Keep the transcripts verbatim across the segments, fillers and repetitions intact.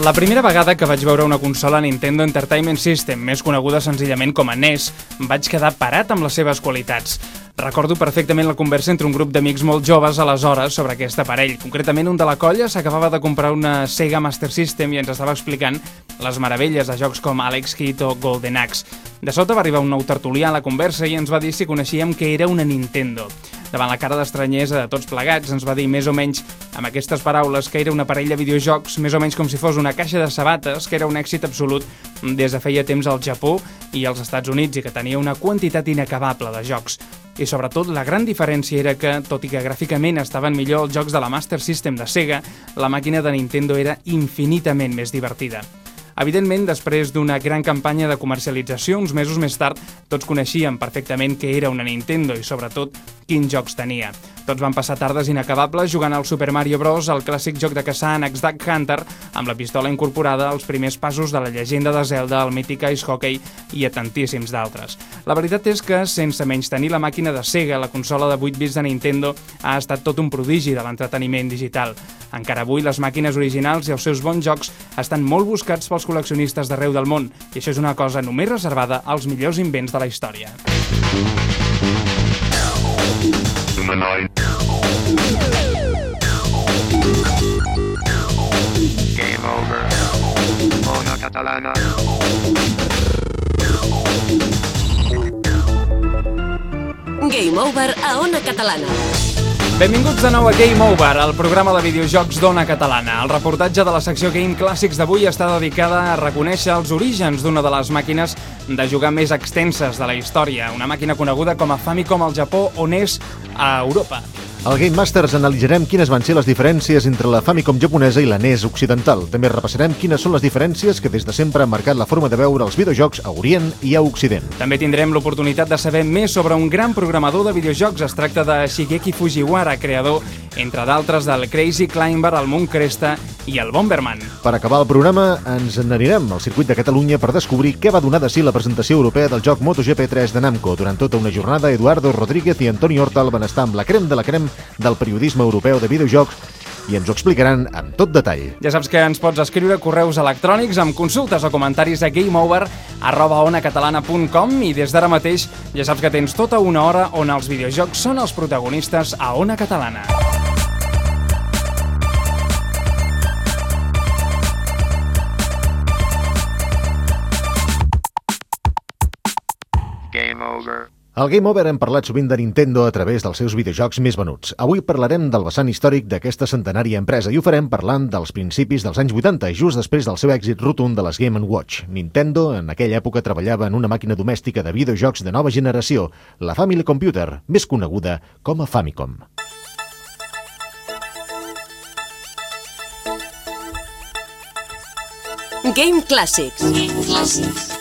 La primera vegada que vaig veure una consola Nintendo Entertainment System, més coneguda senzillament com a N E S, vaig quedar parat amb les seves qualitats. Recordo perfectament la conversa entre un grup d'amics molt joves aleshores sobre aquest aparell. Concretament, un de la colla s'acabava de comprar una Sega Master System i ens estava explicant les meravelles de jocs com Alex Kidd o Golden Axe. De sota va arribar un nou tertulià a la conversa i ens va dir si coneixíem que era una Nintendo. Davant la cara d'estranyesa de tots plegats, ens va dir més o menys amb aquestes paraules que era un aparell de videojocs, més o menys com si fos una caixa de sabates, que era un èxit absolut des de feia temps al Japó i als Estats Units i que tenia una quantitat inacabable de jocs. I sobretot la gran diferència era que, tot i que gràficament estaven millor els jocs de la Master System de Sega, la màquina de Nintendo era infinitament més divertida. Evidentment, després d'una gran campanya de comercialització, uns mesos més tard, tots coneixíem perfectament què era una Nintendo i, sobretot, quins jocs tenia. Tots van passar tardes inacabables jugant al Super Mario Bros, el clàssic joc de caçar en X-Duck Hunter, amb la pistola incorporada, els primers passos de la llegenda de Zelda, el mític Ice Hockey i a tantíssims d'altres. La veritat és que, sense menys tenir la màquina de Sega, la consola de vuit bits de Nintendo ha estat tot un prodigi de l'entreteniment digital. Encara avui, les màquines originals i els seus bons jocs estan molt buscats pels col·leccionistes d'arreu del món, i això és una cosa només reservada als millors invents de la història. Game over. Ona Catalana. Game over a Ona Catalana. Benvinguts de nou a Game Over, el programa de videojocs d'Ona Catalana. El reportatge de la secció Game Clàssics d'avui està dedicada a reconèixer els orígens d'una de les màquines de jugar més extenses de la història, una màquina coneguda com a Famicom al Japó o N E S a Europa. Al Game Masters analitzarem quines van ser les diferències entre la Famicom japonesa i la N E S occidental. També repassarem quines són les diferències que des de sempre han marcat la forma de veure els videojocs a Orient i a Occident. També tindrem l'oportunitat de saber més sobre un gran programador de videojocs. Es tracta de Shigeki Fujiwara, creador, entre d'altres, del Crazy Climber, el Moon Cresta i el Bomberman. Per acabar el programa, ens n'anirem al circuit de Catalunya per descobrir què va donar de si la presentació europea del joc MotoGP tres de Namco. Durant tota una jornada, Eduardo Rodríguez i Antoni Hortal van estar amb la crem de la crem del periodisme europeu de videojocs i ens ho explicaran amb tot detall. Ja saps que ens pots escriure correus electrònics amb consultes o comentaris a gameover arroba onacatalana punt com i des d'ara mateix ja saps que tens tota una hora on els videojocs són els protagonistes a Ona Catalana. Game over. Al Game Over hem parlat sovint de Nintendo a través dels seus videojocs més venuts. Avui parlarem del vessant històric d'aquesta centenària empresa i ho farem parlant dels principis dels anys vuitanta, just després del seu èxit rotund de les Game and Watch. Nintendo en aquella època treballava en una màquina domèstica de videojocs de nova generació, la Family Computer, més coneguda com a Famicom. Game Clàssics. Game Clàssics.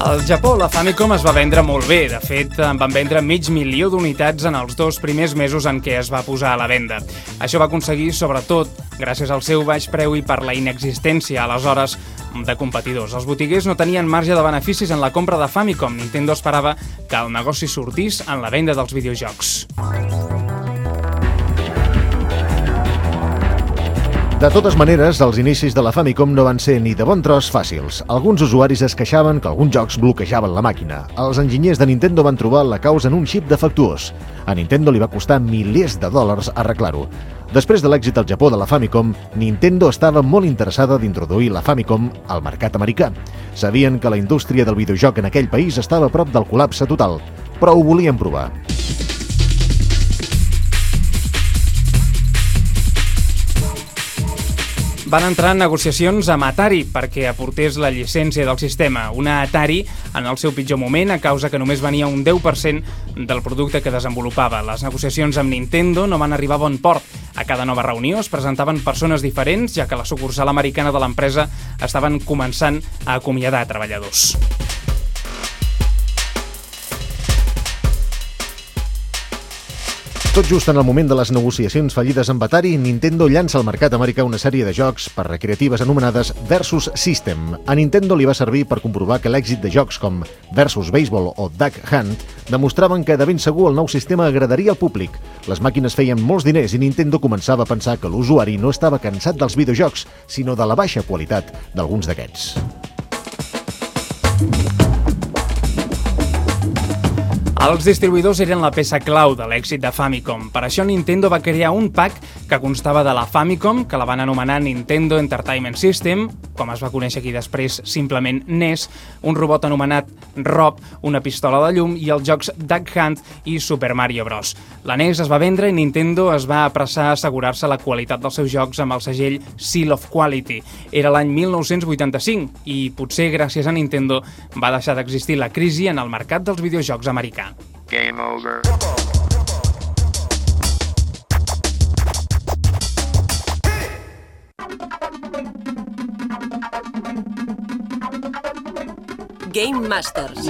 Al Japó, la Famicom es va vendre molt bé. De fet, en van vendre mig milió d'unitats en els dos primers mesos en què es va posar a la venda. Això va aconseguir, sobretot, gràcies al seu baix preu i per la inexistència, aleshores, de competidors. Els botiguers no tenien marge de beneficis en la compra de Famicom. Nintendo esperava que el negoci sortís en la venda dels videojocs. De totes maneres, els inicis de la Famicom no van ser ni de bon tros fàcils. Alguns usuaris es queixaven que alguns jocs bloquejaven la màquina. Els enginyers de Nintendo van trobar la causa en un xip defectuós. A Nintendo li va costar milers de dòlars arreglar-ho. Després de l'èxit al Japó de la Famicom, Nintendo estava molt interessada d'introduir la Famicom al mercat americà. Sabien que la indústria del videojoc en aquell país estava a prop del col·lapse total, però ho volien provar. Van entrar en negociacions amb Atari perquè aportés la llicència del sistema. Una Atari en el seu pitjor moment, a causa que només venia un deu per cent del producte que desenvolupava. Les negociacions amb Nintendo no van arribar a bon port. A cada nova reunió es presentaven persones diferents, ja que la sucursal americana de l'empresa estaven començant a acomiadar treballadors. Tot just en el moment de les negociacions fallides amb Atari, Nintendo llança al mercat americà una sèrie de jocs per recreatives anomenades Versus System. A Nintendo li va servir per comprovar que l'èxit de jocs com Versus Baseball o Duck Hunt demostraven que de ben segur el nou sistema agradaria al públic. Les màquines feien molts diners i Nintendo començava a pensar que l'usuari no estava cansat dels videojocs, sinó de la baixa qualitat d'alguns d'aquests. Els distribuïdors eren la peça clau de l'èxit de Famicom. Per això Nintendo va crear un pack que constava de la Famicom, que la van anomenar Nintendo Entertainment System, com es va conèixer aquí després simplement N E S, un robot anomenat Rob, una pistola de llum i els jocs Duck Hunt i Super Mario Bros. La N E S es va vendre i Nintendo es va apressar a assegurar-se la qualitat dels seus jocs amb el segell Seal of Quality. Era l'any mil nou-cents vuitanta-cinc i potser gràcies a Nintendo va deixar d'existir la crisi en el mercat dels videojocs americà. Game over. Game Masters.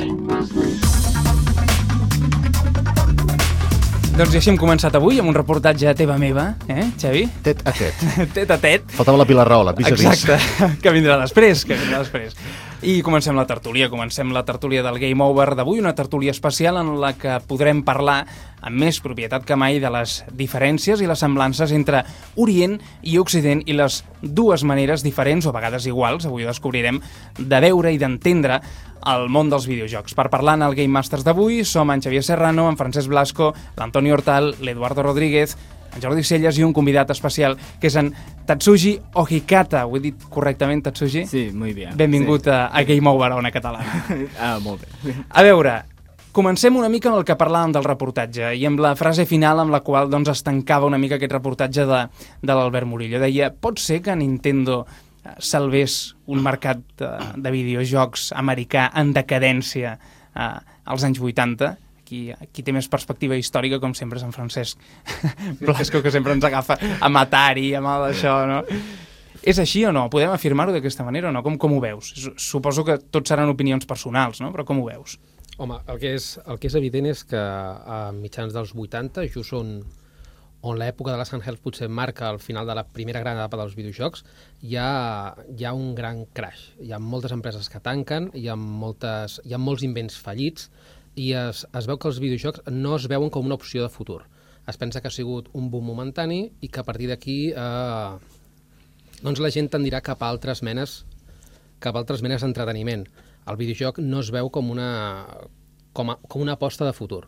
Doncs i així hem començat avui amb un reportatge teva meva, eh, Xavi? Tet a tet. Tet a tet. Faltava la Pilar Rahola, vis a vis. Exacte, que vindrà després, que vindrà després. I comencem la tertúlia, comencem la tertúlia del Game Over d'avui, una tertúlia especial en la que podrem parlar amb més propietat que mai de les diferències i les semblances entre Orient i Occident i les dues maneres diferents, o a vegades iguals, avui ho descobrirem, de veure i d'entendre el món dels videojocs. Per parlar en el Game Masters d'avui som en Xavier Serrano, en Francesc Blasco, l'Antoni Hortal, l'Eduardo Rodríguez, en Jordi Celles i un convidat especial que és en Tatsuji Ohikata. Ho he dit correctament, Tatsuji? Sí, muy bien. Benvingut sí. a, a Game Over, a Ona Catalana. Ah, molt bé. A veure, comencem una mica amb el que parlàvem del reportatge i amb la frase final amb la qual doncs, es tancava una mica aquest reportatge de, de l'Albert Murillo. Deia, pot ser que Nintendo salvés un mercat de, de videojocs americà en decadència eh, als anys vuitanta? Qui, qui té més perspectiva històrica, com sempre, és en Francesc Blasco, que sempre ens agafa amb Atari, amb el d'això, no? És així o no? Podem afirmar-ho d'aquesta manera o no? Com, com ho veus? Suposo que tots seran opinions personals, no? Però com ho veus? Home, el que és, el que és evident és que a mitjans dels vuitanta, just on, on l'època de les handhelds potser marca el final de la primera gran etapa dels videojocs, hi ha, hi ha un gran crash. Hi ha moltes empreses que tanquen, hi ha, moltes, hi ha molts invents fallits, i es, es veu que els videojocs no es veuen com una opció de futur. Es pensa que ha sigut un boom momentani i que a partir d'aquí eh, doncs la gent tendirà cap a altres menes cap a altres menes d'entreteniment. El videojoc no es veu com una, com, a, com una aposta de futur.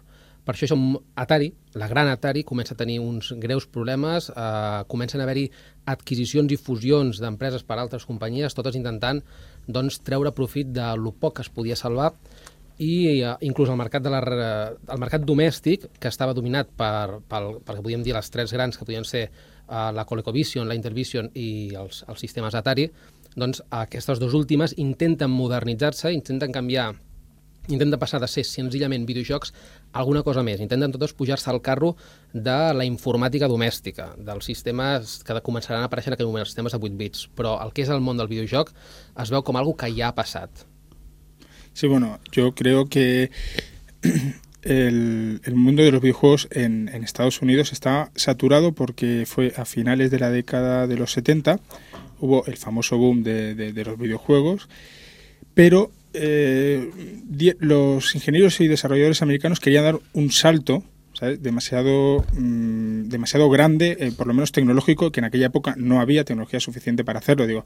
Per això, això Atari, la gran Atari, comença a tenir uns greus problemes, eh, comencen a haver-hi adquisicions i fusions d'empreses per altres companyies, totes intentant doncs, treure profit de lo poc que es podia salvar, i uh, inclús el mercat, de la, el mercat domèstic, que estava dominat per, pel, perquè podíem dir les tres grans, que podien ser uh, la ColecoVision, la Intellivision i els, els sistemes Atari, doncs aquestes dues últimes intenten modernitzar-se, intenten canviar, intenten passar de ser senzillament videojocs a alguna cosa més, intenten totes pujar-se al carro de la informàtica domèstica, dels sistemes que començaran a aparèixer en aquell moment, els sistemes de vuit bits, però el que és el món del videojoc es veu com algo que ja ha passat. Sí, bueno, yo creo que el, el mundo de los videojuegos en, en Estados Unidos está saturado porque fue a finales de la década de los setenta, hubo el famoso boom de, de, de los videojuegos, pero eh, die, los ingenieros y desarrolladores americanos querían dar un salto, ¿sabes? demasiado, mmm, demasiado grande, eh, por lo menos tecnológico, que en aquella época no había tecnología suficiente para hacerlo. Digo,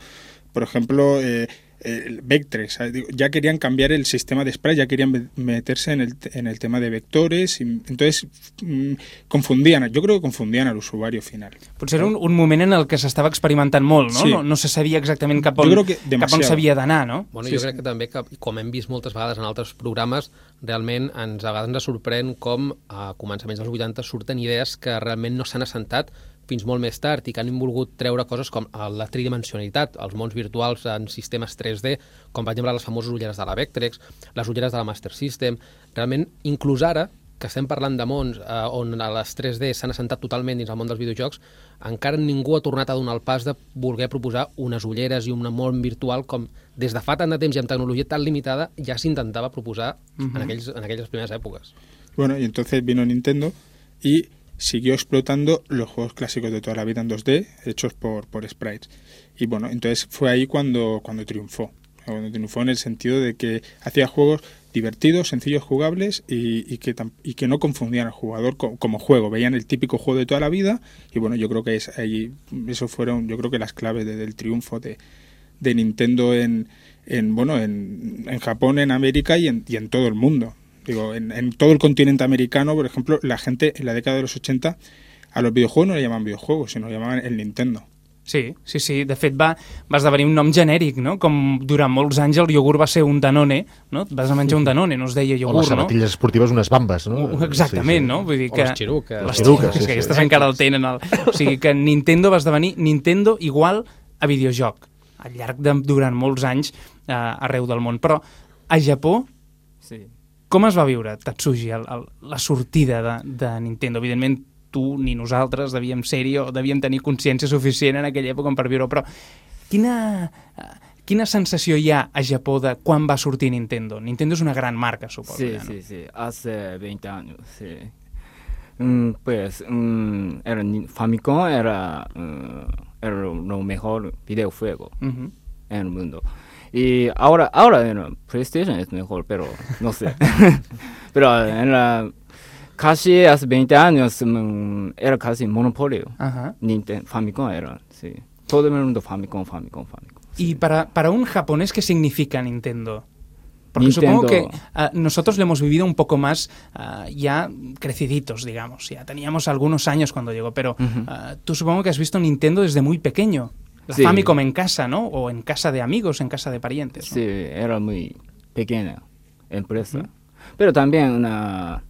por ejemplo, eh, el Vectrex, ya querían cambiar el sistema de sprite, ya querían meterse en el, en el tema de vectores, y entonces mmm, confundían, yo creo que confundían al usuario final. Potser era un, un moment en el que s'estava experimentant molt, no? Sí. No, no se sabia exactament cap on, cap on s'havia d'anar, no? Bueno, sí, jo crec sí. que també, que, com hem vist moltes vegades en altres programes, realment ens, a vegades ens sorprèn com a començaments dels vuitanta surten idees que realment no s'han assentat fins molt més tard i que han volgut treure coses com la tridimensionalitat, els mons virtuals en sistemes tres D, com per exemple les famoses ulleres de la Vectrex, les ulleres de la Master System. Realment, inclús ara, que estem parlant de mons eh, on les tres D s'han assentat totalment dins el món dels videojocs, encara ningú ha tornat a donar el pas de voler proposar unes ulleres i un món virtual com des de fa tant de temps i amb tecnologia tan limitada ja s'intentava proposar uh-huh. en, aquells, en aquelles primeres èpoques. Bueno, y entonces vino Nintendo y siguió explotando los juegos clásicos de toda la vida en dos D, hechos por, por sprites. Y bueno, entonces fue ahí cuando, cuando triunfó. Cuando triunfó en el sentido de que hacía juegos divertidos, sencillos, jugables y, y, que, y que no confundían al jugador como, como juego. Veían el típico juego de toda la vida y bueno, yo creo que es ahí, eso fueron, yo creo que las claves de, del triunfo de, de Nintendo en, en bueno, en, en Japón, en América y en, y en todo el mundo. Digo, en, en todo el continente americano, por ejemplo, la gente en la década de los ochenta a los videojuegos no le llamaban videojuegos, sino le llamaban el Nintendo. Sí, sí, sí. De fet, va, va esdevenir un nom genèric, no? Com durant molts anys el iogurt va ser un Danone, no? Vas a menjar un Danone, no es deia iogurt, no? O les sabatilles no? esportives, unes bambes, no? Exactament, sí, sí. No? Vull dir que... O les xiruques. Les xiruques, sí, sí, que sí. aquestes encara el tenen. El... O sigui que Nintendo va esdevenir Nintendo igual a videojoc, al llarg de durant molts anys eh, arreu del món. Però a Japó, Sí. com es va viure, Tatsuji, el, el, la sortida de, de Nintendo? Evidentment, tu ni nosaltres devíem ser-hi o devíem tenir consciència suficient en aquella època per viure, però quina, quina sensació hi ha a Japó de quan va sortir Nintendo? Nintendo és una gran marca, suposo. Sí, ja, no? sí, sí, hace veinte años, sí. Mm, pues, mm, era ni- Famicom era, mm, era lo mejor videojuego Uh-huh. en el mundo. Y ahora, ahora en la PlayStation es mejor, pero no sé. Pero en la, casi hace veinte años mm, era casi monopolio. Ajá. Nintendo, Famicom era, sí. Todo el mundo Famicom, Famicom, Famicom. Y para, para un japonés, ¿qué significa Nintendo? Porque Nintendo. supongo que uh, nosotros lo hemos vivido un poco más uh, ya creciditos, digamos. Ya teníamos algunos años cuando llegó, pero Ujú. uh, tú supongo que has visto Nintendo desde muy pequeño. La Sí. Famicom en casa, ¿no? O en casa de amigos, en casa de parientes, ¿no? Sí, era muy pequeña empresa. Pero también, una,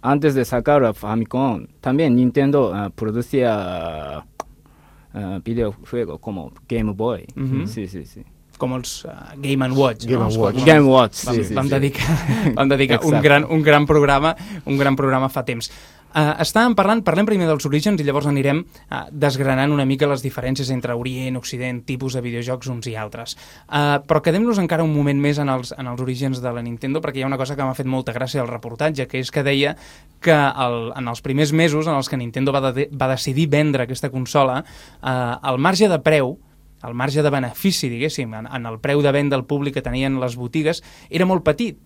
antes de sacar a Famicom, también Nintendo ah, producía ah, videojuegos como Game Boy. Ujú. Sí, sí, sí. Com els uh, Game and Watch. Game no? and Els Watch. quals Game Watch, Vam, sí, sí, vam sí. dedicar, vam dedicar un, Exacte. gran, un gran programa un gran programa fa temps. Uh, estàvem parlant, parlem primer dels orígens i llavors anirem uh, desgranant una mica les diferències entre Orient, Occident, tipus de videojocs uns i altres. Uh, però quedem-nos encara un moment més en els, en els orígens de la Nintendo, perquè hi ha una cosa que m'ha fet molta gràcia al reportatge, que és que deia que el, en els primers mesos en els que Nintendo va, de, va decidir vendre aquesta consola, uh, el marge de preu, el marge de benefici, diguéssim, en, en el preu de venda al públic que tenien les botigues, era molt petit,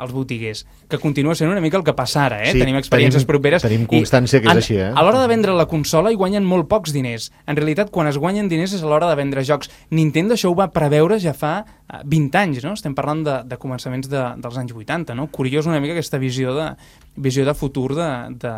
els botiguers, que continua sent una mica el que passa ara, eh? Sí, tenim experiències tenim- properes. tenim i constància que és en- així, eh? A l'hora de vendre la consola hi guanyen molt pocs diners. En realitat, quan es guanyen diners és a l'hora de vendre jocs. Nintendo això ho va preveure ja fa eh, vint anys, no? Estem parlant de, de començaments de, dels anys vuitanta, no? Curiós una mica aquesta visió de, visió de futur de, de,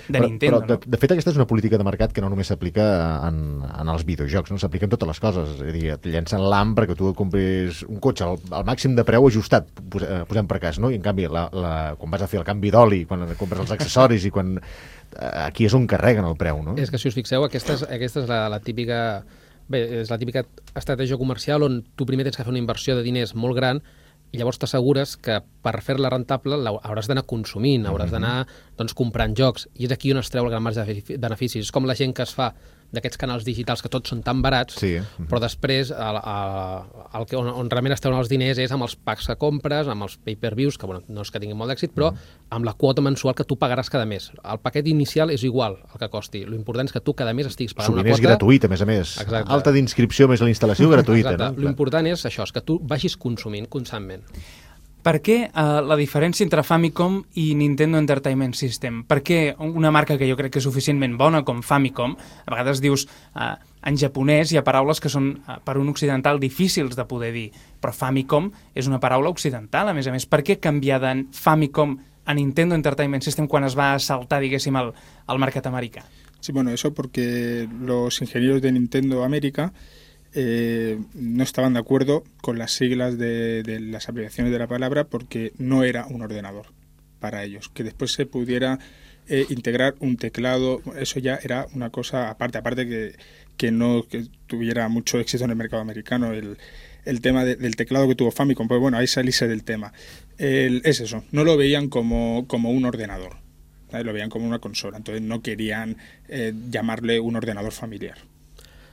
de Nintendo, però, de, no? de fet, aquesta és una política de mercat que no només s'aplica en, en els videojocs, no? S'aplica en totes les coses. És a dir, et llencen l'A M perquè tu et compris un cotxe al, al màxim de preu ajustat, pos, eh, posem per cas, no? I en canvi, la, la, quan vas a fer el canvi d'oli, quan compres els accessoris i quan... eh, aquí és on carreguen el preu, no? És que si us fixeu, aquesta és, aquesta és la, la típica... Bé, és la típica estratègia comercial on tu primer tens que fer una inversió de diners molt gran i llavors t'assegures que per fer-la rentable la- hauràs d'anar consumint, hauràs d'anar doncs, comprant jocs, i és aquí on es treu el gran marge de benefici- beneficis. És com la gent que es fa d'aquests canals digitals que tots són tan barats, Sí. però després el, el, el que, on, on realment es treuen els diners és amb els packs que compres, amb els pay-per-views, que bueno, no és que tinguin molt d'èxit, però amb la quota mensual que tu pagaràs cada mes. El paquet inicial és igual el que costi. L'important és que tu cada mes estiguis pagant Sovint una és quota... gratuït, a més a més. Exacte. Alta d'inscripció més la instal·lació gratuïta, Exacte. no? L'important és això, és que tu vagis consumint constantment. Per què eh, la diferència entre Famicom i Nintendo Entertainment System? Per què una marca que jo crec que és suficientment bona com Famicom, a vegades dius, eh, en japonès hi ha paraules que són eh, per un occidental difícils de poder dir, però Famicom és una paraula occidental, a més a més. Per què canviar de Famicom a Nintendo Entertainment System quan es va assaltar, diguéssim, el, el mercat americà? Sí, bueno, eso porque los ingenieros de Nintendo América eh, no estaban de acuerdo con las siglas de, de las abreviaciones de la palabra porque no era un ordenador para ellos. Que después se pudiera eh, integrar un teclado, eso ya era una cosa aparte, aparte que, que no que tuviera mucho éxito en el mercado americano. El, el tema de, del teclado que tuvo Famicom, pues bueno, ahí salirse del tema. El, es eso, no lo veían como, como un ordenador, ¿sabes? Lo veían como una consola, entonces no querían eh, llamarle un ordenador familiar.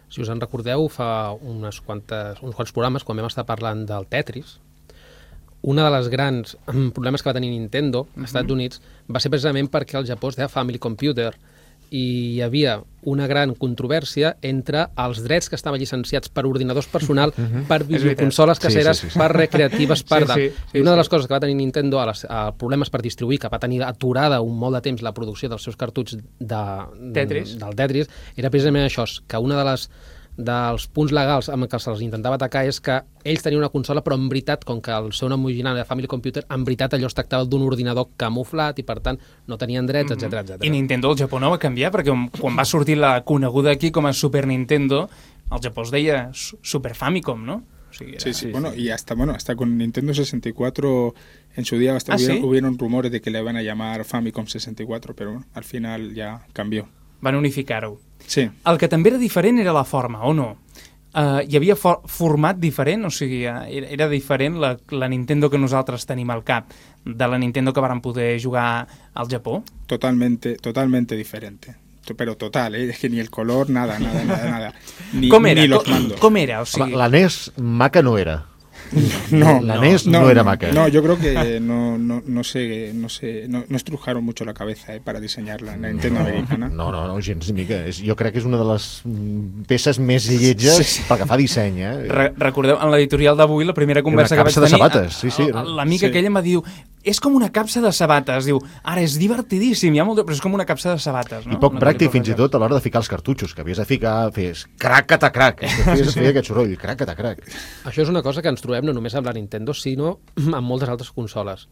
Si us en recordeu, fa unes quantes, uns quants programes, quan vam estar parlant del Tetris, una de les grans problemes que va tenir Nintendo als Estats Units va ser precisament perquè al Japó es deia Family Computer i hi havia una gran controvèrsia entre els drets que estaven llicenciats per ordinadors personal, per videoconsoles caseres, Sí, sí, sí. per recreatives, per Sí, tal. sí, sí, I una de les sí. coses que va tenir Nintendo a, les, a problemes per distribuir, que va tenir aturada un molt de temps la producció dels seus cartuts de, Tetris. del Tetris, era precisament això, que una de les dels punts legals amb què se'ls intentava atacar és que ells tenien una consola, però en veritat, com que el seu nom original era Family Computer, en veritat allò es tractava d'un ordinador camuflat i, per tant, no tenien drets, etcètera, etcètera. I Nintendo al Japó no va canviar, perquè quan va sortir la coneguda aquí com a Super Nintendo, al Japó es deia Su- Super Famicom, no? O sigui, era... Sí, sí, bueno, y hasta, bueno, hasta con Nintendo sesenta y cuatro en su día hasta ¿Ah, hubieron, sí? hubieron rumores de que le iban a llamar Famicom sesenta y cuatro, pero bueno, al final ya cambió. Van unificar-ho. Sí, El que també era diferent era la forma, o no? Uh, hi havia for format diferent, o sigui, uh, era, era diferent la, la Nintendo que nosaltres tenim al cap de la Nintendo que vàrem poder jugar al Japó? totalmente, totalmente diferente. Pero total, ¿eh? Es que ni el color, nada, nada, nada, nada. Ni, Com era? ni los Com, mandos. com era? O Home, sigui, la N E S maca no era. No, La N E S no, era maca. No, yo creo que no, no, no sé, no sé, no, no estrujaron mucho la cabeza eh, para diseñarla, la Nintendo americana. No, no, no, gens ni mica. És, jo crec que és una de les mm, peces més lletges Sí, sí. pel que fa a disseny, eh? Re recordeu, en l'editorial d'avui, la primera conversa Era una que vaig capsa de tenir... sabates, sí, sí, no? L'amica Sí. aquella em va dir, és com una capsa de sabates. Diu, ara és divertidíssim, hi ha molt de... però és com una capsa de sabates, no? I poc Una pràctic mica fins i tot a l'hora de ficar els cartutxos, que havies de ficar, fes crac-cata-crac, que feies, feia aquest soroll, crac-cata-crac. Això és una cosa que ens trobem no només amb la Nintendo, sinó amb moltes altres consoles.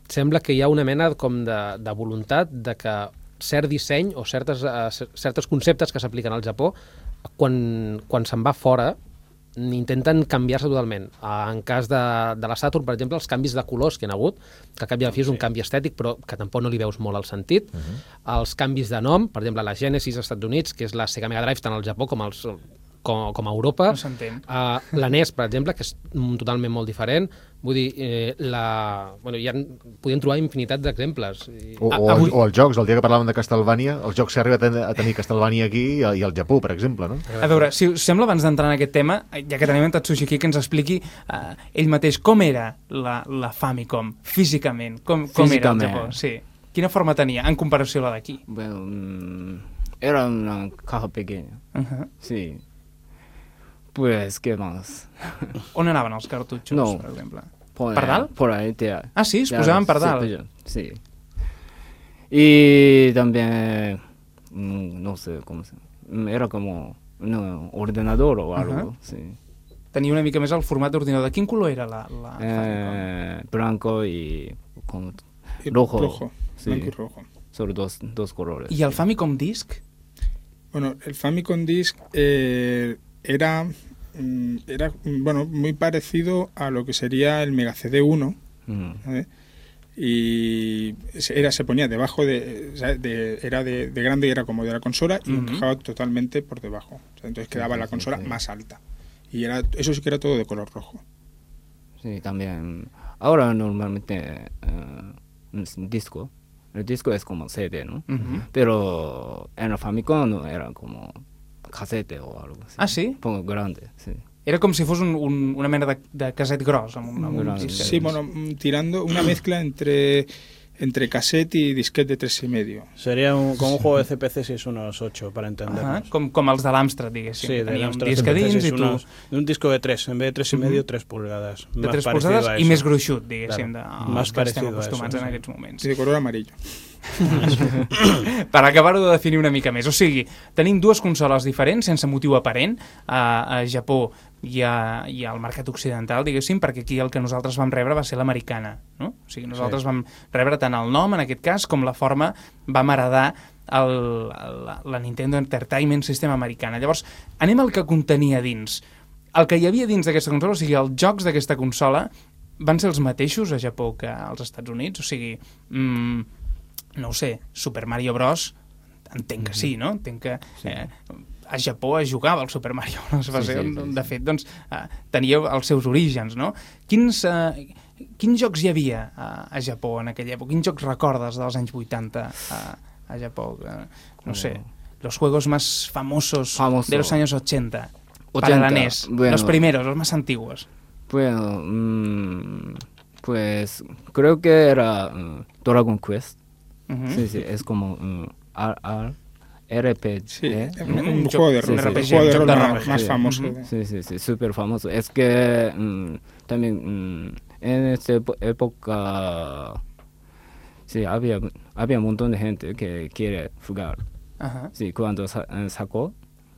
Sembla que hi ha una mena com de, de voluntat de que cert disseny o certes, uh, certes conceptes que s'apliquen al Japó, quan, quan se'n va fora, intenten canviar-se totalment. Uh, en cas de, de la Saturn, per exemple, els canvis de colors que hi ha hagut, que a cap i a la fi és un canvi estètic, però que tampoc no li veus molt el sentit. Uh -huh. Els canvis de nom, per exemple, la Genesis als Estats Units, que és la Sega Mega Drive tant al Japó com als com, com a Europa. No s'entén. Uh, la N E S, per exemple, que és mm, totalment molt diferent. Vull dir, eh, la... bueno, ja podien trobar infinitat d'exemples. I... O, Ah, o, avui- o els jocs, el dia que parlàvem de Castlevania, els jocs s'ha arribat a ten- a tenir Castlevania aquí i, i al Japó, per exemple, no? A veure, si us sembla, abans d'entrar en aquest tema, ja que tenim en Tatsushi aquí, que ens expliqui uh, ell mateix com era la, la Famicom, físicament, com, com era al Físicament. Japó. Sí. Quina forma tenia, en comparació a la d'aquí? Bueno, mm, era una caja pequeña, Uh -huh. sí. Pues, ¿qué más? On anaven els cartutxos, No. per exemple? Por, ¿Per dalt? Por ahí, tía. Ah, sí? Es Ya, posaven per sí, dalt? pues, sí. Y también, mm, no sé cómo se llama, era como un ordenador o algo, Ajá. sí. Tenia una mica més el format d'ordinador. De quin color era la, la Famicom? Eh, blanco y como Y rojo. rojo, Sí. blanco y rojo. Solo dos, dos colores. I el Famicom Disc? Bueno, el Famicom Disc eh, era, mm, era mm, bueno, muy parecido a lo que sería el Mega C D uno, Mm. ¿vale? Y se- era, se ponía debajo de, o sea, de- era de, de grande y era como de la consola y Ujú. encajaba totalmente por debajo. O sea, entonces quedaba sí, la sí, consola sí. más alta. Y era, eso sí que era todo de color rojo. Sí, también. Ahora normalmente eh, un disco. El disco es como C D, ¿no? Ujú. Pero en el Famicom era como casete o algo así. Ah, sí? Un poco grande, sí. Era com si fos un, un, una mena de, de caset gros, amb un, amb un Grande. disc. Sí, bueno, mm, tirando una mezcla entre, entre cassette y disquete de tres y medio. Sería un, como un juego de C P C si es unos ocho, para entendernos. Ahà, com, com els de l'Amstrad, diguéssim. Sí, de Tenia un Amstrad disc a C P C dins es i tu... unos- de un disco de tres, en vez de tres y medio, tres pulgadas. De Más tres parecido polzades a i eso. més gruixut, diguéssim, Claro. de, Más als que estem parecido a eso, acostumats en sí. aquests moments. Sí, de color amarillo. Per acabar-ho de definir una mica més. O sigui, tenim dues consoles diferents, sense motiu aparent, a, a Japó i, a, i al mercat occidental, diguéssim, perquè aquí el que nosaltres vam rebre va ser l'americana, no? O sigui, nosaltres sí. vam rebre tant el nom, en aquest cas, com la forma, vam heredar el, la, la Nintendo Entertainment System americana. Llavors, anem al que contenia dins. El que hi havia dins d'aquesta consola, o sigui, els jocs d'aquesta consola, van ser els mateixos a Japó que als Estats Units? O sigui, mmm, no ho sé, Super Mario Bros. Entenc que sí, no? Entenc que eh, a Japó es jugava el Super Mario Bros. Va Sí, ser, sí, sí, de sí. fet, doncs, eh, tenia els seus orígens, no? Quins, eh, quins jocs hi havia a, a Japó en aquella època? Quins jocs recordes dels anys vuitanta a, a Japó? Eh, no sé, los juegos más famosos Famoso. de los años ochenta. Para la ochenta, N E S. bueno. Los primeros, los más antiguos. Bueno, mm, Pues creo que era uh, Dragon Quest. Uh-huh. Sí, sí, es como um, R, R, R P G. Sí, ¿eh? un, un Un juego de joc- rol, un el R P G, juego de un rol joc de más, rol. más Sí. famoso. Ujú. Sí, sí, sí, súper famoso. Es que um, también um, en esta epo- época sí, había, había un montón de gente que quiere jugar. Ajá. Sí, cuando sa- eh, sacó,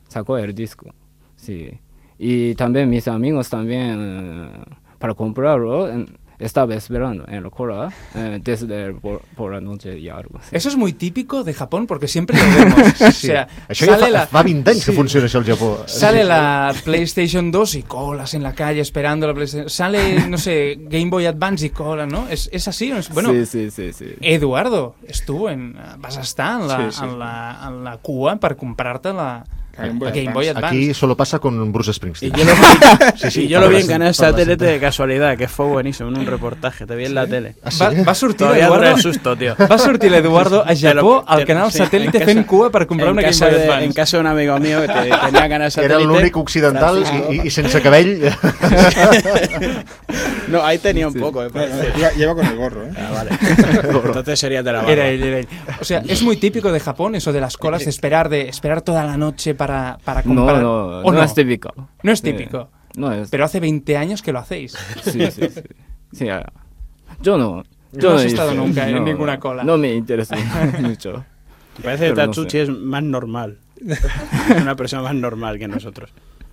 sacó el disco. Sí. Y también mis amigos también, eh, para comprarlo, eh, estaba esperando en la cola eh, desde por, por la noche y algo. Sí. Eso es muy típico de Japón porque siempre lo vemos. O sea, Això ja sale fa, la, fa vint anys sí. que funciona això al Japó. Sale la PlayStation dos y colas en la calle esperando la PlayStation. Sale, no sé, Game Boy Advance y cola, ¿no? ¿Es, es así? ¿No es? Bueno, sí, sí, sí, sí. Eduardo, estuvo en... Vas a estar en la, Sí, sí. en la, en la cua per comprar-te la, La Game Boy la Game Boy Advance. Advance. Aquí solo pasa con Bruce Springsteen. Y yo lo vi, Sí, sí, y yo lo vi en parla- Canal parla Satélite sempre. de casualidad, que fue buenísimo, en un reportaje, te vi en la tele. Ah, sí? Va, va sortir Todavía dura l'Eduardo... el susto, tío. Va sortir l'Eduardo a Te lo- Japó al te- canal sí, satèl·lite en fent casa- cua per comprar en una Game casa Boy de- Advance. En casa de un amigo mío que te- tenía Canal Satélite. Era l'únic occidental i, i, i sense cabell. No, ahí tenía un poco, eh. No, no, lleva, lleva con el gorro, ¿eh? Ah, vale. Entonces sería de la barba. Era él, era él. O sea, es muy típico de Japón eso de las colas, de esperar, de esperar toda la noche para, para No, comprar. no, ¿O no es típico. No es Sí. típico. No es. Pero hace veinte años que lo hacéis. Sí, sí, sí. Sí, ah, yo no. Yo No has hice- estado nunca en no, ninguna cola. No me interesa mucho. Me parece que Pero no Tatsuchi sé. es más normal. Es una persona más normal que nosotros.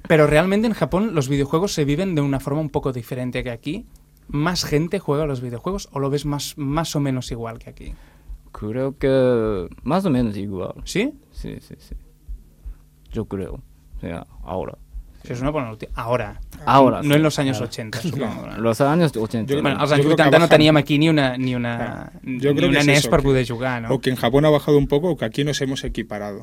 Pero realmente en Japón los videojuegos se viven de una forma un poco diferente que aquí. ¿Más gente juega a los videojuegos o lo ves más, más o menos igual que aquí? Creo que más o menos igual. ¿Sí? Sí, sí, sí. Yo creo. O sea, ahora. Eso es una buena noticia. Ahora. Ahora. No sí. en los años ochenta, supongo. ¿no? Los años ochenta. Yo- Bueno, als Jo anys crec que vuitanta no bajan. teníem aquí ni una, ni una, Claro. ni Yo creo que una es N E S eso, per que- poder jugar, ¿no? O que en Japón ha bajado un poco o que aquí nos hemos equiparado.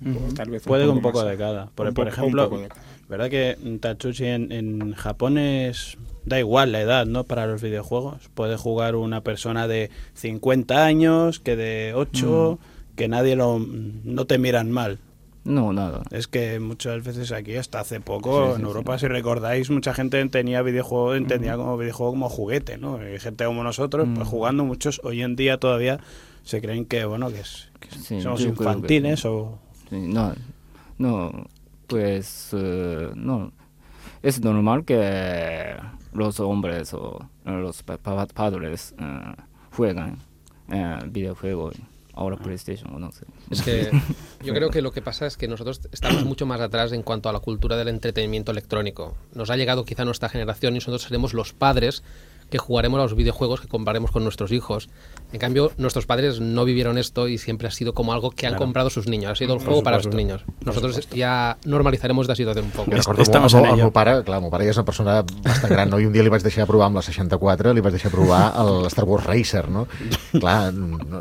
Ujú. Tal vez Puede un poco poco más. de cada. Por, Un por poco- ejemplo, un poco de cada. ¿verdad que Tatsuchi en, en Japón es... Da igual la edad, ¿no? Para los videojuegos. Puede jugar una persona de cincuenta años, que de ocho, que nadie lo... No te miran mal. No, nada. Es que muchas veces aquí, hasta hace poco, Sí, sí, en sí. Europa, si recordáis, mucha gente tenía videojuego, entendía como videojuego como juguete, ¿no? Hay gente como nosotros, pues Mm. jugando, muchos hoy en día todavía se creen que, bueno, que, es, que Sí, somos yo creo que infantiles sí. o... Sí, no, no, pues eh, no. Es normal que los hombres o los pa- pa- padres eh, juegan eh, videojuegos. Ahora PlayStation o no sé. Es que yo creo que lo que pasa es que nosotros estamos mucho más atrás en cuanto a la cultura del entretenimiento electrónico. Nos ha llegado quizá nuestra generación y nosotros seremos los padres que jugaremos a los videojuegos que compraremos con nuestros hijos. En cambio, nuestros padres no vivieron esto y siempre ha sido como algo que han Claro. comprado sus niños. Ha sido el Por juego para sus supuesto. niños. Nosotros ya normalizaremos la situación un poco. Jo recordo Estamos el, en el ello. meu pare, clar, el meu pare ja és una persona bastant gran, no? I un dia li vaig deixar provar amb la seixanta-quatre, li vaig deixar provar el Star Wars Racer, no? Clar, no, no,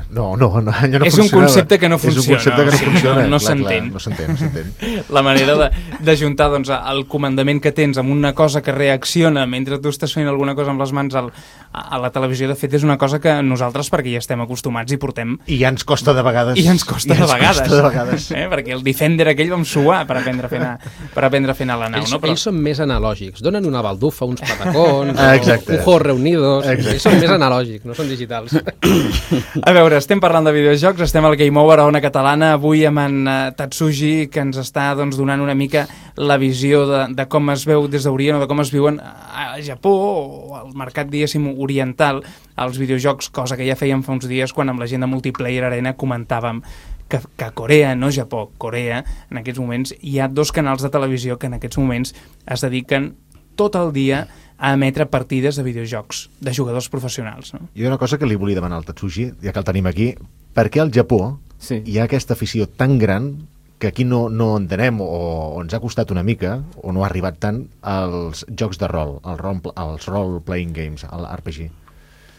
no, no allò no És un funcionava. concepte que no És un funciona, concepte que o no sigui, funciona. no- no clar, clar, s'entén. No s'entén, no s'entén. La manera de, de juntar doncs, el comandament que tens amb una cosa que reacciona mentre tu estàs fent alguna cosa amb les mans al, a la televisió, de fet, és una cosa que nosaltres, perquè ja estem acostumats i portem... I ja ens costa de vegades. I ja ens costa i de ens vegades. Costa de vegades. Eh? Perquè el Defender aquell vam suar per aprendre a fer anar, per aprendre a fer anar la nau. Ells, No? Però, ells són més analògics. Donen una baldufa, uns patacons, Ah, o exacte. un juego reunidos. Exacte. Ells són més analògics, no són digitals. a veure, estem parlant de videojocs, estem al Game Over a Ona Catalana, avui amb en uh, Tatsuji, que ens està doncs, donant una mica la visió de, de com es veu des d'Orient o de com es viuen a Japó o al mercat, diguéssim, oriental, als videojocs, cosa que ja fèiem fa uns dies quan amb la gent de Multiplayer Arena comentàvem que, que a Corea, no Japó, Corea, en aquests moments hi ha dos canals de televisió que en aquests moments es dediquen tot el dia a emetre partides de videojocs de jugadors professionals. No? Hi ha una cosa que li volia demanar al Tatsuji, ja que el tenim aquí. Per què al Japó Sí. hi ha aquesta afició tan gran que aquí no, no entenem o, o ens ha costat una mica o no ha arribat tant als jocs de rol, al rol als role-playing games, al R P G.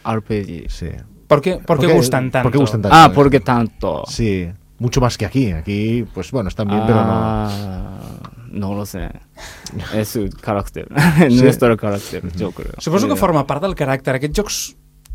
R P G. Sí. ¿Por qué, por qué gustan tanto? ¿Por qué gustan tanto? Ah, ¿por qué tanto? Sí, mucho más que aquí. Aquí, pues bueno, están bien, pero no... Ah, no lo sé. Es su carácter. Sí. Nuestro carácter, yo creo. Suposo que Sí. forma part del caràcter. Aquests jocs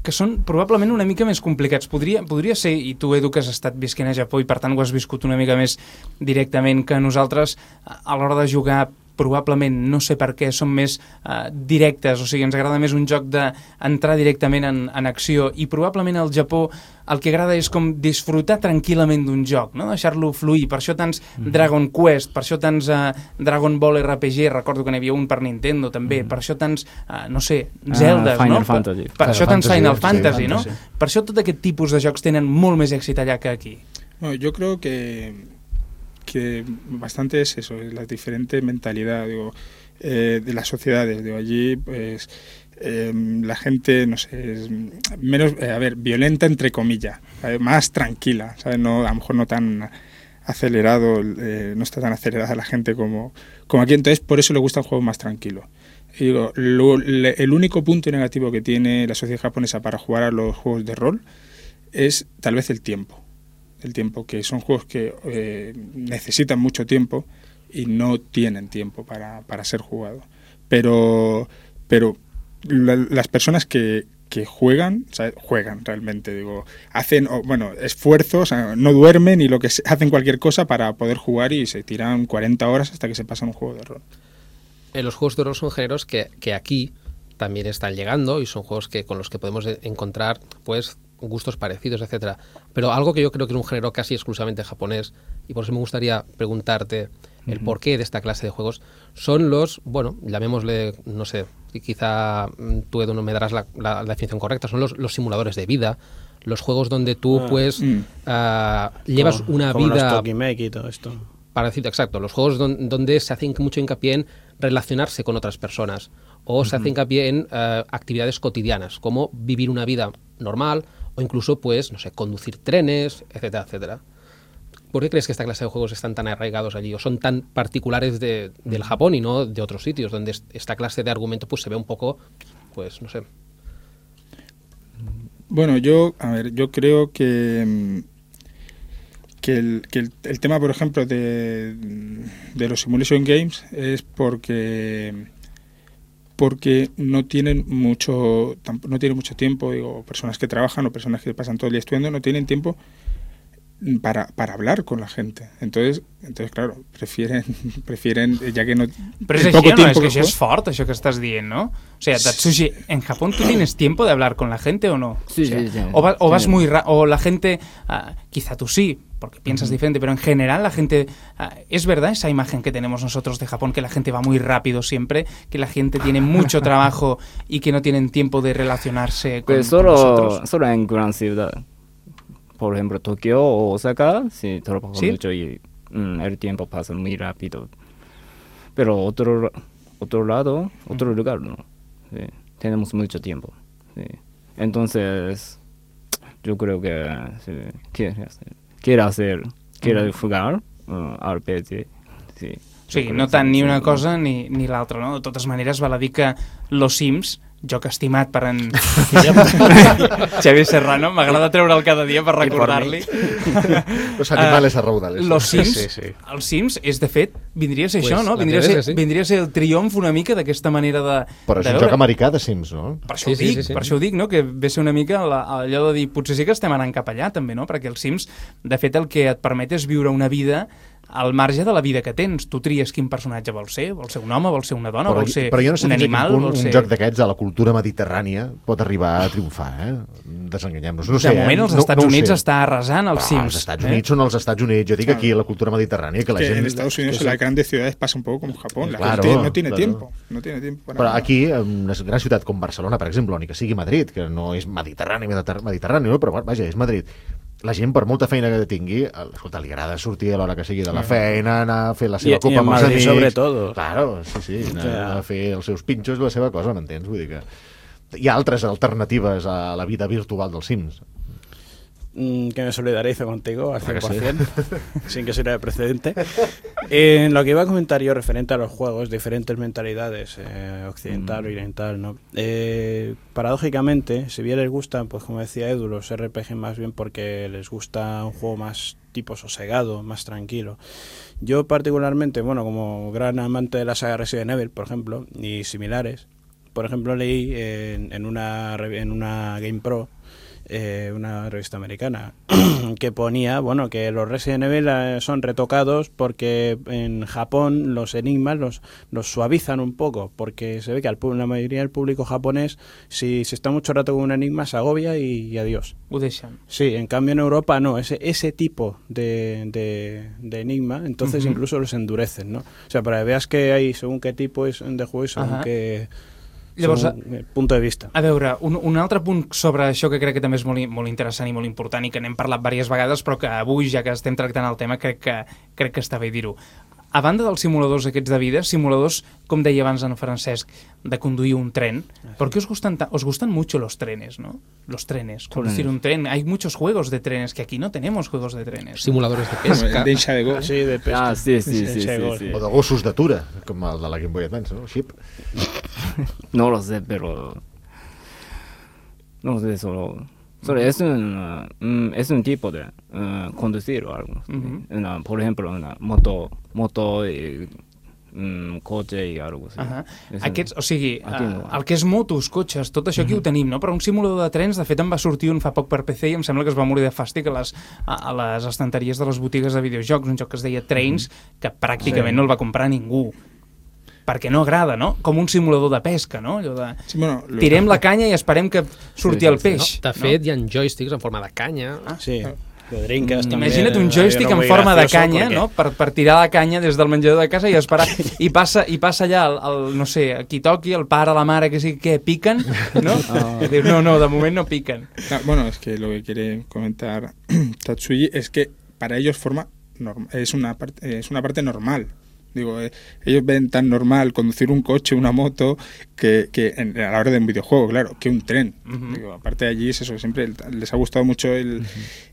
que són probablement una mica més complicats. Podria, podria ser, i tu, Edu, que has estat visquent a Japó i per tant ho has viscut una mica més directament que nosaltres, a l'hora de jugar probablement, no sé per què, són més uh, directes, o sigui, ens agrada més un joc d'entrar directament en, en acció, i probablement al Japó el que agrada és com disfrutar tranquil·lament d'un joc, no? Deixar-lo fluir. Per això tants mm-hmm. Dragon Quest, per això tants uh, Dragon Ball R P G, recordo que n'hi havia un per Nintendo també, mm-hmm. per això tants, uh, no sé, Zeldas, uh, Final no? Fantasy. Per, per això tants Final Fantasy, sí, no? Fantasy. Per això tot aquest tipus de jocs tenen molt més èxit allà que aquí. No, yo creo que, que bastante es eso, es la diferente mentalidad, digo, eh, de las sociedades. Digo, allí, pues, eh, la gente, no sé, es menos, eh, a ver, violenta entre comillas, ¿sabes? Más tranquila, ¿sabes? No, a lo mejor no tan acelerado, eh, no está tan acelerada la gente como, como aquí, entonces por eso le gusta un juego más tranquilo. Y digo, lo, le, el único punto negativo que tiene la sociedad japonesa para jugar a los juegos de rol es tal vez el tiempo. El tiempo, que son juegos que eh, necesitan mucho tiempo y no tienen tiempo para, para ser jugados. Pero, pero la, las personas que, que juegan, o sea, juegan realmente, digo, hacen, bueno, esfuerzos, o sea, no duermen y lo que se, hacen cualquier cosa para poder jugar y se tiran cuarenta horas hasta que se pasan un juego de rol. Eh, los juegos de rol son géneros que, que aquí también están llegando y son juegos que con los que podemos encontrar, pues, gustos parecidos, etcétera. Pero algo que yo creo que es un género casi exclusivamente japonés, y por eso me gustaría preguntarte el uh-huh. porqué de esta clase de juegos, son los, bueno, llamémosle, no sé, y quizá tú, Edu, no me darás la, la, la definición correcta, son los, los simuladores de vida, los juegos donde tú, ah, pues, mm. uh, llevas como, una como vida... Los Tokimeki y todo esto. Para decirte exacto, los juegos don, donde se hace mucho hincapié en relacionarse con otras personas, o uh-huh. se hace hincapié en uh, actividades cotidianas, como vivir una vida normal, o incluso, pues, no sé, conducir trenes, etcétera, etcétera. ¿Por qué crees que esta clase de juegos están tan arraigados allí o son tan particulares de, del Japón y no de otros sitios donde esta clase de argumento pues se ve un poco, pues, no sé? Bueno, yo, a ver, yo creo que que el, que el, el tema, por ejemplo, de, de los simulation games es porque porque no tienen mucho no tienen mucho tiempo, digo, personas que trabajan o personas que pasan todo el día estudiando no tienen tiempo para, para hablar con la gente. Entonces, entonces claro, prefieren, prefieren ya que no... Pero es així, no? Es que això és fort, això que estàs dient, ¿no? O sea, Tatsushi, ¿en Japón tú tienes tiempo de hablar con la gente o no? Sí, o sea, sí, sí. O, va, o vas sí. muy... Ra o la gente... Uh, quizá tú sí, porque piensas uh-huh. diferente, pero en general la gente... Uh, ¿es verdad esa imagen que tenemos nosotros de Japón, que la gente va muy rápido siempre, que la gente tiene mucho trabajo y que no tienen tiempo de relacionarse con, pues solo, con nosotros? Solo en gran ciudad. Por ejemplo, Tokio o Osaka, sí, trabajo ¿Sí? mucho y mm, el tiempo pasa muy rápido. Pero otro, otro lado, otro uh-huh. lugar, ¿no? Sí, tenemos mucho tiempo. Sí. Entonces, yo creo que sí, quiere hacer, quiere, hacer, quiere uh-huh. jugar uh, R P G. Sí, sí, no tant ni una cosa ni, ni l'altra, no? De totes maneres, val a dir que Los Sims, joc estimat per en Xavier Serrano, m'agrada treure'l cada dia per recordar-li. Los animales uh, a raudales. Los Sims, sí, sí. els Sims, és de fet, vindria a ser pues això, no? Vindria a ser, sí. vindria a ser el triomf una mica d'aquesta manera de... Però és de un veure. joc americà de Sims, no? Per això, sí, ho dic, sí, sí, sí. per això ho dic, no? Que ve ser una mica la, allò de dir, potser sí que estem anant cap allà, també, no? Perquè els Sims, de fet, el que et permet és viure una vida al marge de la vida que tens. Tu tries quin personatge vol ser, vol ser un home, vol ser una dona, però, vol ser però jo no sé un animal, punt, vol un ser... joc d'aquests a la cultura mediterrània pot arribar a triomfar, eh? Desenganyem-nos. No de sé, moment, eh? els no, Estats no Units sé. està arrasant els però Sims. Els Estats eh? Units són els Estats Units. Jo dic aquí, a la cultura mediterrània, que la que gent... en Estados Unidos, en las grandes ciudades, pasa un poco como Japón. La claro, gente no tiene claro. tiempo. No tiene tiempo para Però nada. aquí, en una gran ciutat com Barcelona, per exemple, ni que sigui Madrid, que no és mediterrani, mediterrani, no? Però vaja, és Madrid. La gent, per molta feina que tingui, escolta, li agrada sortir a l'hora que sigui de la feina, anar a fer la seva I, copa i amb els Madrid, amics. sobretot. Claro, sí, sí, anar O sea, a fer els seus pinxos, la seva cosa, m'entens? Vull dir que hi ha altres alternatives a la vida virtual dels Sims. Mm, que me solidarizo contigo al Claro cien que por ciento, sin que sirva de precedente. En lo que iba a comentar yo referente a los juegos, diferentes mentalidades, eh, occidental o oriental, ¿no? Eh, paradójicamente, si bien les gustan, pues como decía Edu, los R P G más bien porque les gusta un juego más tipo sosegado, más tranquilo. Yo particularmente, bueno, como gran amante de la saga Resident Evil, por ejemplo, y similares, por ejemplo leí en, en, una, en una GamePro eh, una revista americana, que ponía, bueno, que los Resident Evil eh, son retocados porque en Japón los enigmas los, los suavizan un poco, porque se ve que al, la mayoría del público japonés, si se está mucho rato con un enigma, se agobia y, y adiós. Ho deixen. Sí, en cambio en Europa no, ese, ese tipo de, de, de enigma, entonces uh-huh. incluso los endurecen, ¿no? O sea, para que veas que hay según qué tipo es de juego y según uh-huh. qué... Llavors, punt de vista. A veure, un, un altre punt sobre això que crec que també és molt, molt interessant i molt important i que n'hem parlat diverses vegades, però que avui, ja que estem tractant el tema, crec que, crec que està bé dir-ho. A banda dels simuladors aquests de vida, simuladors, com deia abans en Francesc, de conduir un tren, ¿por qué os gustan, os gustan mucho los trenes, no? Los trenes, conducir un tren. Hay muchos juegos de trenes, que aquí no tenemos juegos de trenes. Simuladores de pesca. De hincha de go. Sí, de pesca. Ah, sí, sí, sí, sí, sí. O de gossos d'atura, com el de la Game Boy Advance, no? Ship. No lo sé, pero... No lo sé, solo... Solo es un, uh, es un tipo de uh, conducir o algo. Uh-huh. Una, por ejemplo, una moto, moto y un cotxe i alguna cosa. Uh-huh. Aquests, o sigui, uh, el que és motos, cotxes, tot això aquí uh-huh. ho tenim, no? Però un simulador de trens, de fet, em va sortir un fa poc per P C i em sembla que es va morir de fàstic a les, a, a les estanteries de les botigues de videojocs, un joc que es deia Trains, uh-huh. que pràcticament sí. no el va comprar ningú. Perquè no agrada, no? Com un simulador de pesca, no? Allò de... Sí, bueno, tirem la canya i esperem que surti sí, el peix. No, de fet, no? Hi ha joysticks en forma de canya. Ah, sí. De drinques, mm, també. Imagina't un joystick en forma de canya, perquè... no? Per, per tirar la canya des del menjador de casa i esperar. I passa, i passa allà, el, el, no sé, qui toqui, el pare, la mare, que sigui, què, piquen? No? Oh. I diu, no, no, de moment no piquen. Ah, bueno, es que lo que quiere comentar Tatsuyi es que para ellos forma norm- es, una parte, es una parte normal. Digo, eh, ellos ven tan normal conducir un coche, una moto, que, que en, a la hora de un videojuego, claro, que un tren. Uh-huh. Digo, aparte de allí es eso, siempre les ha gustado mucho el, uh-huh.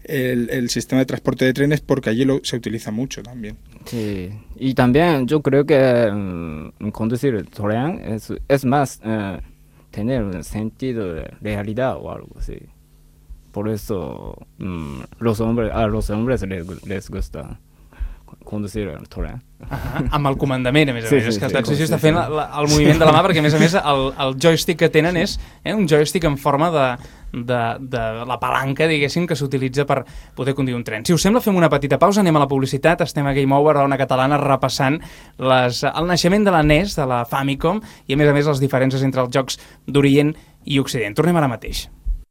el, el sistema de transporte de trenes porque allí lo, se utiliza mucho también. Sí, y también yo creo que um, conducir el tren es, es más uh, tener un sentido de realidad o algo así. Por eso um, los hombres, a los hombres les, les gusta conducir el tren. Uh-huh. Amb el comandament, a més a sí, més. Sí, és que sí, el Tatsuyi sí, està sí, fent sí. la, la, el moviment de la mà, perquè a més a més el, el joystick que tenen és eh, un joystick en forma de, de, de la palanca, diguéssim, que s'utilitza per poder conduir un tren. Si us sembla, fem una petita pausa, anem a la publicitat, estem a Game Over, a Ona Catalana, repassant les, el naixement de la N E S, de la Famicom, i a més a més les diferències entre els jocs d'Orient i Occident. Tornem ara mateix.